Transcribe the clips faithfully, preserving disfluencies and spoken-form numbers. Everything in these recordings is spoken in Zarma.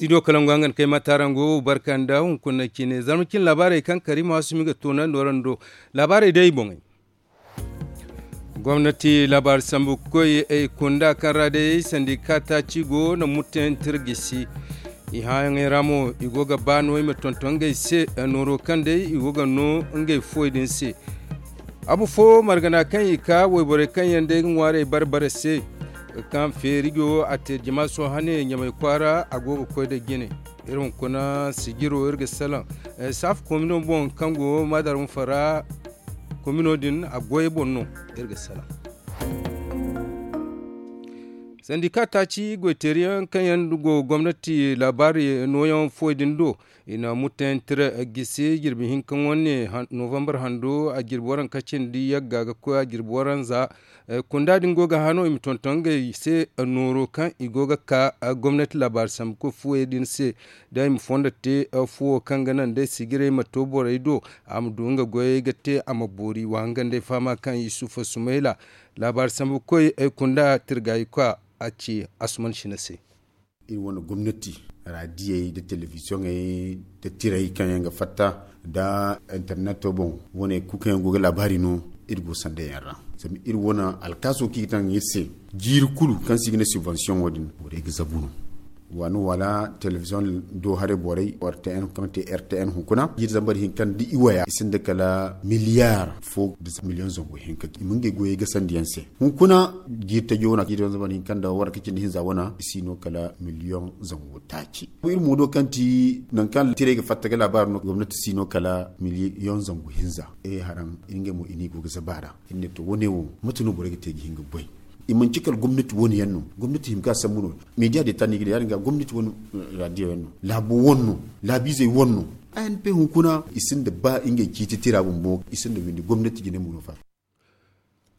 Studio kalangu hangan kay ma taarango barka nda hunkuna cine zarma cine laabaarey kaŋ kariima waasumi ga toonandi warando. Laabaarey day boŋey. Gomnati laabaari sambu koy ay kunda kaŋ ra day sandika taaci go na mutantira gisi. I hããyaŋey ra mo i go ga ba no i ma tonton ngey se nooro kaŋ day i go ga no ngey fuwey din se. Abu fo margana kaŋ i ka wayborey kaŋ yaŋ day ga ŋwaarey bare bare se. Kaŋ feeri go a te jama sohane ɲamay kwaara a go ga koy da jine. Iri hunkuna sijiro iri ga salaŋ saafu komino boŋ kaŋ go maadar hunfa ra. Komino din a goyey boŋ no. Iri ga salaŋ sandika taaci goyteeriyaŋ kaŋ yaŋ go gomnati laabaari nooyaŋ fuwey din do. I na mutantira gisi jirbi hinka wane novambar hando a jirbi waranka cindi yagga ga koy a jirbi waranza. Kunda din go ga hano i ma tonton ngey se nooro kaŋ i go ga ka gomnati laabaari sambu koy fuwey din se. Da i ma fondo te fuwo kaŋ ga naŋ day sijirey ma to borey do a ma du nga goyey ga te a ma boori wa hanga nd'ay fahama kaŋ yusufa sumayla laabaari sambu koy ay kunda tirgayi kwa a ci asuman shina se. Iri wane gomnati raadiyey nda telebiziyoŋey nda tirey kaŋ yaŋ ga fatta nda interneto boŋ wane kulu kaŋ yaŋ go ga laabaari no. Iri go sanda yaŋ ra zama iri wane alkaaso kaŋ i ga taŋ iri se jiiri kulu kaŋ se i ga ne subvensiyoŋo din borey ga zabu no. Waani wala telebiziyoŋ do haray borey rtn kaŋ te rtn hunkuna jiiri zambar hinka nda i waya i sinda kala miliyar fo nda miliyoŋ zangu hinka i ma ngey goyey gasandi yaŋ se. Hunkuna jiiri tajo wana jiiri zambar hinka nda waranka cindi hinza wana i si no kala miliyoŋ zangu taaci. Iri mo do kaŋ ti nangu kaŋ tirey ga fatta ga laabaari no gomnati si no kala miliyoŋ zangu hinza. Ay haraŋ iri ngey mo i no i go ga zaba a ra. Iri ne to wane wo mate no borey ga te ga hin ga goy? I manci kala gomnati wane yaŋ no. Gomnati hima ga sambu no. Meediya de ta no i ga ne ya- din ga gomnati wane raadiyo yaŋ no, laabo wane no, laabiizey wane no. Anp hunkuna i sinda ba ngey ciiti tira bumbo i sinda windi gomnati jine mo no fa.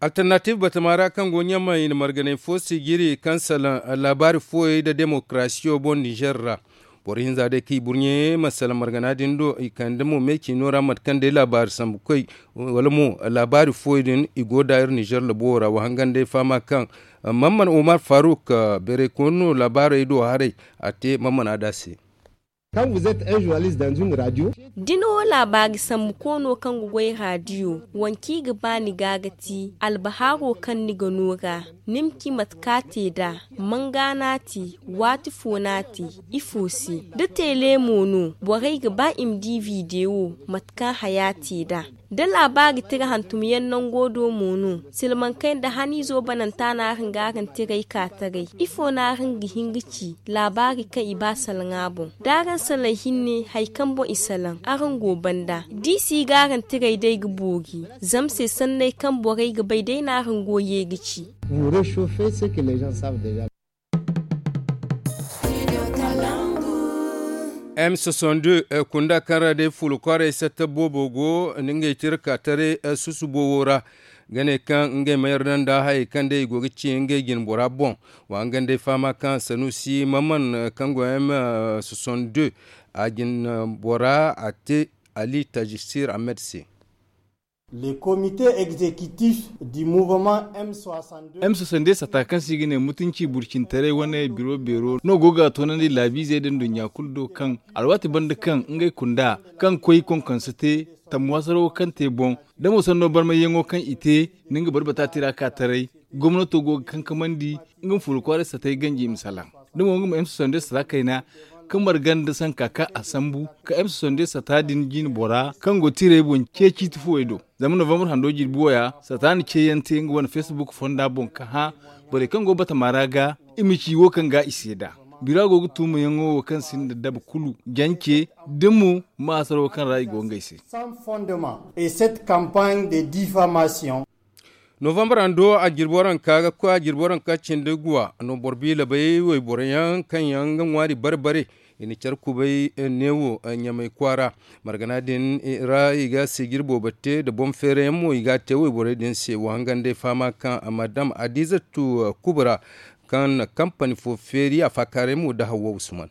Alternative batama ra kaŋ go ɲamay i na marganay fo sijiri kaŋ salaŋ laabaari fooyey nda demokarasiyo boŋ nizer ra. Boro hinza day kaŋ i burɲe ma salaŋ margana din do i kande mo meecino ra mate kaŋ day laabaari sambu koy wala mo laabaari fooyey din i go da iri nizer labo ra wa hangan day fahama kaŋ mamman omar faruk beeray kooni no laabaarey do haray. A te mamman a da se. Kaŋ vous êtes un journaliste dans une radio. Da ni wo laabaari sambu koono kaŋ ga goy raadiyo, waŋ kaŋ i ga ba ni ga ga ti albahaaro kaŋ ni ga no ga ni ma ci mate kaŋ a te nd'a? Manga no a te? Waati fo no a te? Ifo se? Da teele mo no borey ga ba i ma di videwo mate kaŋ haya te nd'a? Da laabaari tira hantumyaŋ nango do mo no silmankey nda haniizo bananta no araŋ ga araŋ tiray ka taray? Ifo no araŋ ga hin ga ci laabaari kaŋ i ba salaŋ a boŋ? Da araŋ salaŋ hinne hari kaŋ boŋ i salaŋ araŋ go banda da i si ga araŋ tiray day ga boori. Zama se sanney kaŋ borey ga bay day no araŋ go ye ga ci. M soixante-deux kunda kaŋ ra day fuula kwaaray satta boobo go nda ngey tira ka taray susu boobo ra. Ga ne kaŋ ngey ma yarda nda hayey kaŋ day i go ga ci ngey jine bora boŋ. Wa hangan day fahama kaŋ sanusi mamman kaŋ go m soixante-deux a jine bora a te ali tajisir ahmed se. Le comité exécutif du mouvement m soixante-deux. M soixante-deux sata kaŋ se i ga ne mutunci burcintaray wane biro beero no go ga toonandi laabiizey da nduɲɲa kulu do kaŋ alwaati banda kaŋ ngey kunda kaŋ koy konkonse te tammuwaasaro kaŋ te boŋ da mo sanno barmayyaŋo kaŋ i te. Ni nga barbata tira ka taray gomnato go ga kankamandi nga ma fuula kwaaray satay ganji i ma salaŋ. Da mo nga ma m soixante-deux sata kayna ka marga nda sanka kaŋ a sambu ka m soixante-deux sata din jine bora kaŋ go tiray boŋ ce ciiti fuwey do. Zama novambar hando jirbi waya sata na ceeyaŋ te nga wane facebook fonda boŋ ka hã borey kaŋ go batama ra ga i ma ci wo kaŋ ga i seeda. Bira go ga tuumayaŋo wo kaŋ sinda daba kulu jance da mo maasaro kaŋ ra i go ngey se. Sans fondement et cette campagne de diffamation. Novambar hando a jirbi waranka ga koy a jirbi waranka cindi guwa no boro biila bay wayborey yaŋ kaŋ yaŋ ga ŋwaari bare bare. I na care kubay neewo ɲamay kwaara margana din ra i ga sijir boobo te nda boŋ feerayaŋ mo i ga a te wayborey din se wa hangan day fahama kaŋ madam adizatu kubra kaŋ na kampani fo feeri a faakaaray mo nda hawwa usman.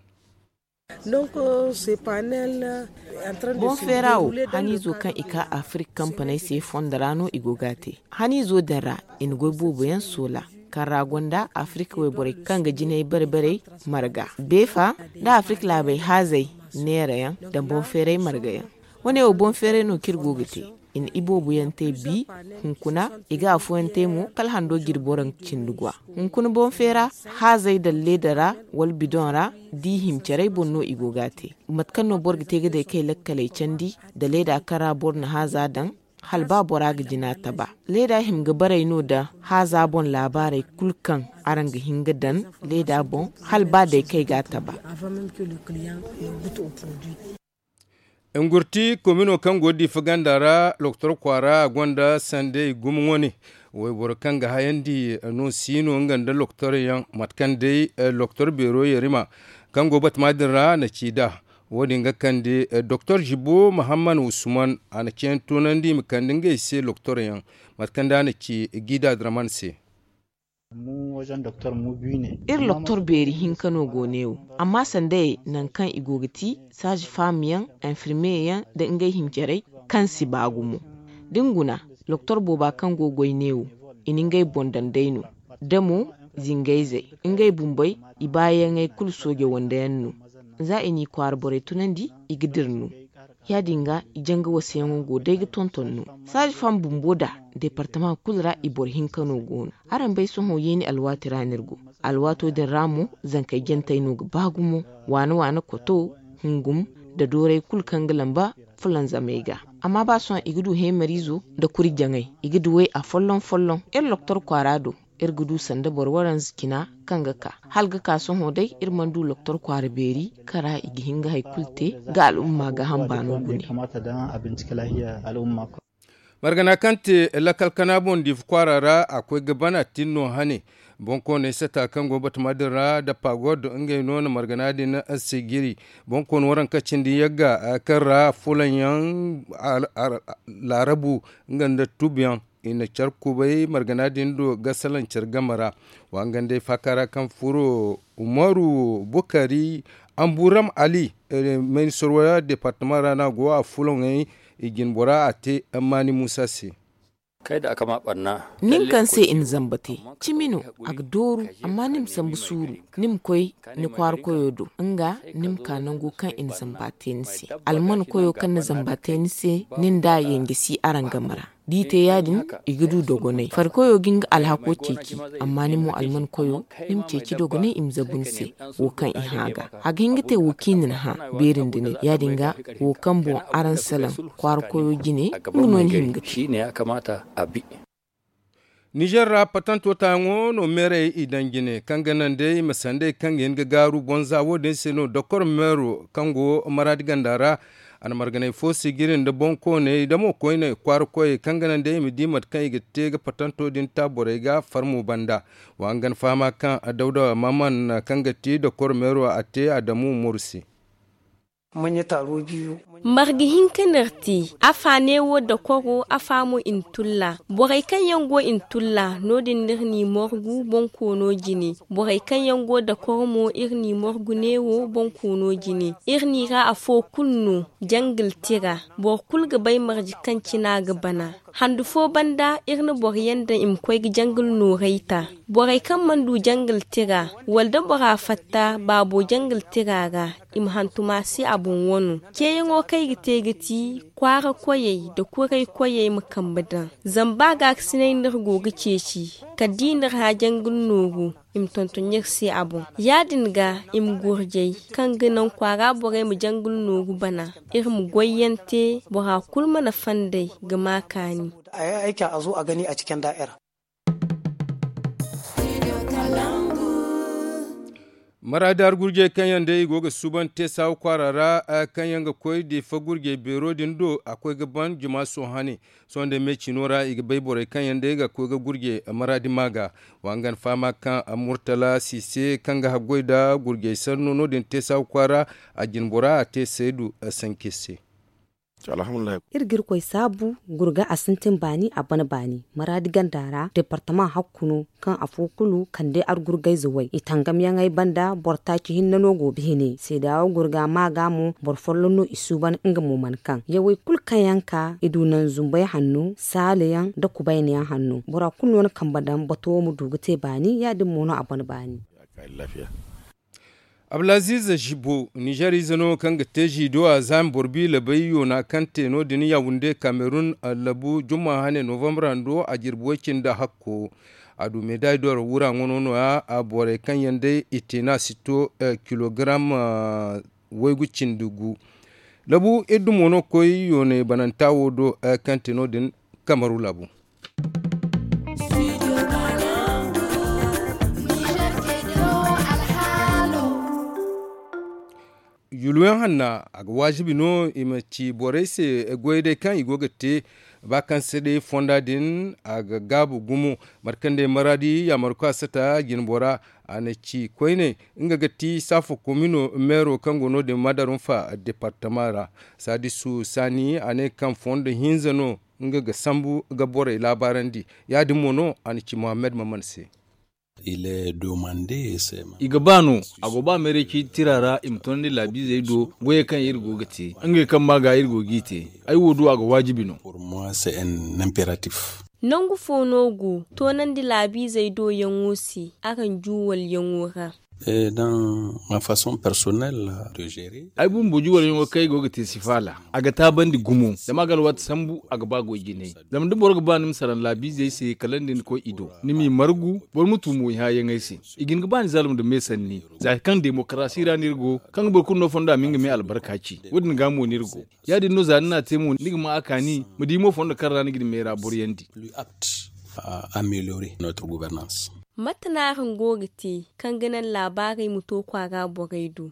Boŋ feera wo haniizo kaŋ i ka afirik kampaney se fondo ra no i go ga a te. Haniizo din ra i na goy boobo yaŋ soola. kaŋ ra gonda afirika wayborey kaŋ ga jinay bare-barey marga beefa, nda afirika laabey haazey neerayaŋ, nda boŋ feeray margayaŋ. Wane wo boŋ feeray no kaŋ iri go ga te. I na iboobo yaŋ te bi. Hunkuna i ga afooyaŋ te mo kala hando jirbo ra cindi gwa. Hunkuna boŋ feera haazey daŋ leeda ra wala bidoŋ ra, da i hima caray boŋ no i go ga a te. Mate kaŋ no boro ga te ga day kay lakkaley candi, nda leeda kaŋ ra boro na haaza daŋ, hala ba bora ga jina taba. Leeda hima ga baray no nda haaza boŋ laabaarey kulu kaŋ araŋ ga hin ga daŋ leeda boŋ, hala ba day kay ga a taba. Ngurti komino kaŋ go diifa ganda ra loktor kwaara a gonda sandey gumo wane. Wayboro kaŋ ga hayandi no si no nga nda loktor yaŋ mate kaŋ day loktor beero yarima kaŋ go batama din ra na ci nd'a. Wo- din ga kande doktor jibo muhammad usman a na ceeyaŋ toonandi i ma kande ngey se loktor yaŋ mate kaŋ day a na ci gida draman se. Iri loktor beeri hinka no go ne wo, amma sanda nangu kaŋ i go ga ti saazi faam yaŋ, infirmiye yaŋ nda ngey hima carey kaŋ si ba gumo. Da ni guna, loktor booba kaŋ go ga goy ne wo, i na ngey boŋ daŋ day no. Da mo zingayzey, ngey bumbey i baayaŋey kulu sooje wande yaŋ no. Za i n'i kwaara borey tunandi, i ga dira no. Ya- din ga i janga wasayaŋo go day ga tonton no. Saazi faam bumbo nda deepartama kulu ra i boro hinka no go no. Araŋ bay sohõ yeeni alwaati ra no iri go. Alwaato din ra mo zankey jantey no ga ba gumo, waana waana koto, hungum, nda dooray kulu kaŋ ga lamba fulanzamey ga. Amma ba sohõ i ga du heemariizo nda kuri jaŋay, i ga duw'ey afolloŋ-folloŋ. Iri loktor kwaara do, iri ga du sanda boro waranza cina kaŋ ga ka. Hala ga ka sohõ day iri mana du loktor kwaara beeri kaŋ ra i ga hin ga hari kulu te ga al'umma gaaham baano gune. Margana kaŋ te lakkal kana boŋ diifa kwaara ra a koy ga bana tin no hane. Boŋkooney sata kaŋ go batama din ra nda pagod ngey no na margana din sigiri. Boŋkooni waranka cindi yagga kaŋ ra fulanyaŋ laarabu nga nda tubyaŋ i na care kubay margana din do ga salaŋ care game ra. Wa nga nd'ey faaka ra kaŋ furo umaru bukari amburam ali, mayni sorwa deepartama ra no a go a fulaŋey i jine bora a te maani muusa se. Nin kaŋ se i na zamba te cimi no, a ga dooru. Amma ni ma sambu suuru, ni ma koy ni kwaara koyo do nga ni ma ka nango kaŋ i na zamba te ni se. Alman koyo kaŋ na zamba te ni se, nin da yanje si araŋ game ra. Da i te ya- din, i ga du dogonay farkoyo ga nga alhako ceeci. Amma ni mo alman koyo, ni ma ceeci dogonay i ma zabu ni se. Wo kaŋ i hã ga a ga hin ga te wo kaŋ i na ni hã. Beeri nda nin ya- din ga, wo kaŋ boŋ araŋ salaŋ kwaara koyo jine, nga no ni hin ga te. Nizer ra patanto taayaŋo no meerey i daŋ jine kaŋ ga naŋ day i ma sanday kaŋ ga hin ga gaaru bonza wo- din se no dokor meero kaŋ go maraadi ganda ra. A na marganay fo sigiri nda boŋkooney da mo koyney kwaara koyey kaŋ ga naŋ day i ma di mate kaŋ i ga te ga patanto din ta borey ga farmo banda. Wa nga na fahama kaŋ dawda maman kaŋ ga ti dokor meero a te adamu morsi. Marga hinka no iri te. Afa neewo dakoro afa mo i na tulla. Borey kaŋ yaŋ go i na tulla no- din no iri n'i morgu bonkoono jine. Borey kaŋ yaŋ go dakoro mo iri n'i morgu neewo bonkoono jine. Iri n'i ra afo kulu no jangil tira. Boro kulu ga bay marje kaŋ cina ga bana. Handu fo banda iri na boro yaŋ daŋ i ma koy ga jangil nooray ta. Borey kaŋ mana du jangil tira wala da bora fatta baabo jangil tira ra, i ma hantum a se a boŋ wano. Ceeyaŋo kaŋ i ga te ga ti kwaara koyey nda kuray koyey ma kambe daŋ. Zama ba gaakasinay no iri go ga ceeci kala da i n'iri hã jangil nooru, i ma tonton iri se a boŋ. Ya- din ga i ma gurjay kaŋ ga naŋ kwaara borey ma jangil nooru bana. Iri ma goyyaŋ te bora kulu mana fandey ga ma kaani. Maraadi har gurjey kaŋ yaŋ day i go ga suuban te saawa kwaara ra kaŋ yaŋ ga koy diifa gurjey beero din do a koy ga ban juma sohõ hane. Sohõ day me cino ra i ga bay borey kaŋ yaŋ day ga koy ga gurjey maraadi ma ga. Wa nga na fahama kaŋ murtala siise kaŋ ga haggoy nda gurjey sanno no- din te saawa kwaara. A jine bora a te saydu sanke se. Iri ga irkoy saabu gurga a sintin baani a ban baani maraadi ganda ra departama hakku no. Kaŋ afo kulu kande argurgayze way i tangamyaŋey banda boro taaci hinne no go bihine seedaawo gurga ma ga mo boro folloŋ no i suuban nga mo mana kaŋ yawey kulu kaŋ yaŋ ka i du naŋ zumbey hanno saalayaŋ nda kubaynayaŋ hanno bora kulu no na kambe daŋ bato wo ma du ga te baani ya- din mo no a ban baani. Abdulaziz zibo nizer ize no kaŋ ga te ziido a zaami boro biila bay yoona kaŋ te no- din yawunde kamerun labu jumma hane novambar hando a jirbi way- cindi hakko. A du meeday doro wura ŋwano no- ya borey kaŋ yaŋ day i te no a si to kilogaram waygu cindi gu. Labu iri dumo no ga koy yooney bananta wo do kaŋ te no- din kamaru labu. Yulwayaŋ hanna a ga waajibi no i ma ci borey se goyey day kaŋ i go ga te ba kaŋ se day fonda din a ga gaabu gumo. Mate kaŋ day maraadi yaamarko a sata jinbora a na ci koyne nga ga ti saafo komino meero kaŋ go no- din madarunfa departama ra. Saadisu saani a ne kaŋ fondo hinza no nga ga sambu ga borey laabaarandi. Ya-din mo no a na ci muhammad maman se. I ga ba no a go ba meeray ciiti tira ra i ma toonandi laabiizey do goyey kaŋ iri go ga te ngey kaŋ ma ga iri go g'i te. Ay wo do a ga waajibi no. Nangu fo no go toonandi laabiizey do yaŋo se araŋ juuwalyaŋo ra? Ay bumbo juuwalyaŋo kaŋ ay go ga te si faala a ga taabandi gumo zama a ga alwaati sambu a ga ba goy jinay. Zama da boro ga ba ni ma saraŋ laabiizey se kala nda ni koy i do ni m'i margu boro ma tuumo i hããyaŋey se. I ga hin ga ba ni zalum nda me sanni za kaŋ demokarasi ra no iri go kaŋ ga boro kulu no fondo a ma nga me albarka ci. Wo- din ga mo no iri go. Ya-din no za ni n'a te mo ni ga ma a kaani ma di mo fondo kaŋ ra ni ga ni meera boroyandi. Mate no araŋ go ga te kaŋ ga naŋ laabaarey ma to kwaara borey do?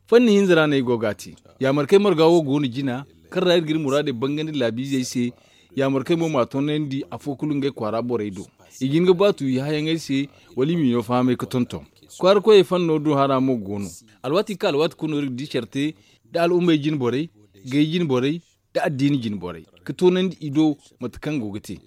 Fanni hinza ra no ay go ga a te. Yaamarkey marga wo go no jina kaŋ ra iri ga iri muraadey bangandi laabiizey se. Yaamarkey mo m'a toonandi afo kulu ngey kwaara borey do. I ga hin ga baatu i hããyaŋey se wala i m'i no fahamay ga tonton. Kwaara koyey fanno do hara mo go no. Alwaati kaŋ alwaati kulu no iri ga di care te nda al'ummey jine borey, gay jine borey, nda addiini jine borey ga toonandi i do. Mate kaŋ go ga te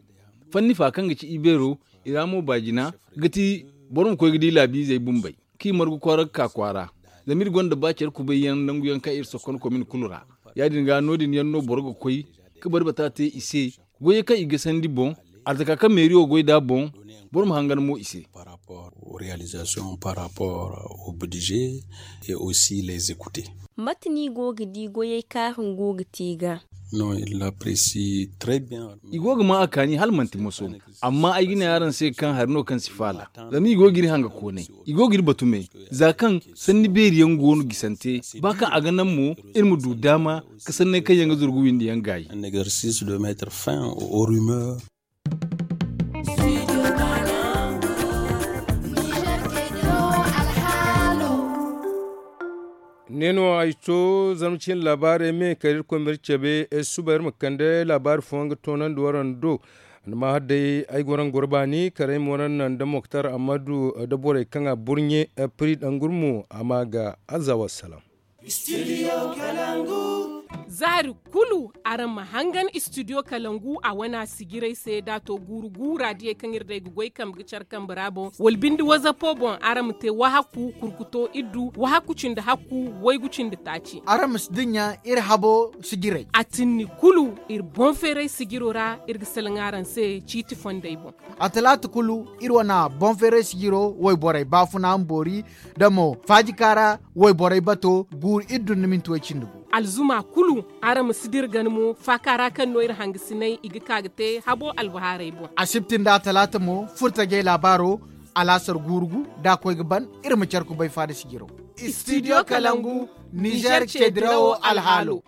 fanni fa kaŋ ga ci ibeero i ra mo baajina ga ti boro ma koy ga di laabiizey bumbey kaŋ i margu kwaara ga ka kwaara. Zama iri gonda ba care kubay yaŋ nangu yaŋ kaŋ iri sokon komin kulu ra. Ya- din ga no- din yaŋ no boro ga koy ga bari bata te i se goyey kaŋ i ga sandi boŋ, arzaka kaŋ meeriyo goy nd'a boŋ, boro ma hangan mo i se. Mate no i go ga di goyey kaŋ araŋ go ga te ga? I go ga maa a kaani hala manti moso. Amma ay ga ne araŋ se kaŋ hari no kaŋ si faala zama i go ga iri hanga koonay. I go ga iri batu me za kaŋ sanni beeri yaŋ go no gisante ba kaŋ a ga naŋ mo iri ma du daama ga sanney kaŋ yaŋ ga zurgu windi yaŋ gaayi. Ne no ay to zama cin laabaarey me kala iri koy ma iri cabe suba iri ma kande laabaari fooyaŋ ga toonandi waraŋ do. Ni ma har day ay go raŋ goro baani kala ay ma waraŋ naŋ nda moktar ammadu nda borey kaŋ a burɲe. Piri dangurmo a ma ga aza wassalam. Zaari kulu araŋ ma hangan istidiyo kalangu a wana sijiray se da to guuru guura diyey kaŋ iri day ga goy kambe ga care kambe ra boŋ wala binde wazapo boŋ araŋ ma te wahakku kurkuto iddu wahakku cindi hakku waygu cindi taaci. Araŋ ma si dinya iri habo sijiray. A tinni kulu iri boŋ feeray sijiro ra iri ga salaŋ araŋ se ciiti fondey boŋ. A talaata kulu iri wana boŋ feeray sijiro wayborey baafuna ma boori da mo faajika ra wayborey bato guuru iddu nda minti way cindi gu. Alzuma kulu araŋ ma si dira gana mo faaka ra kaŋ no iri hangasiney i ga ka ga te habo albahaarey boŋ. Asibti nda atalaata mo furtajey laabaaro alaasar guuru gu da a koy ga ban iri ma care kubay faada sijiro. Istidiyo kalangu nizer cedirawo alhaalo.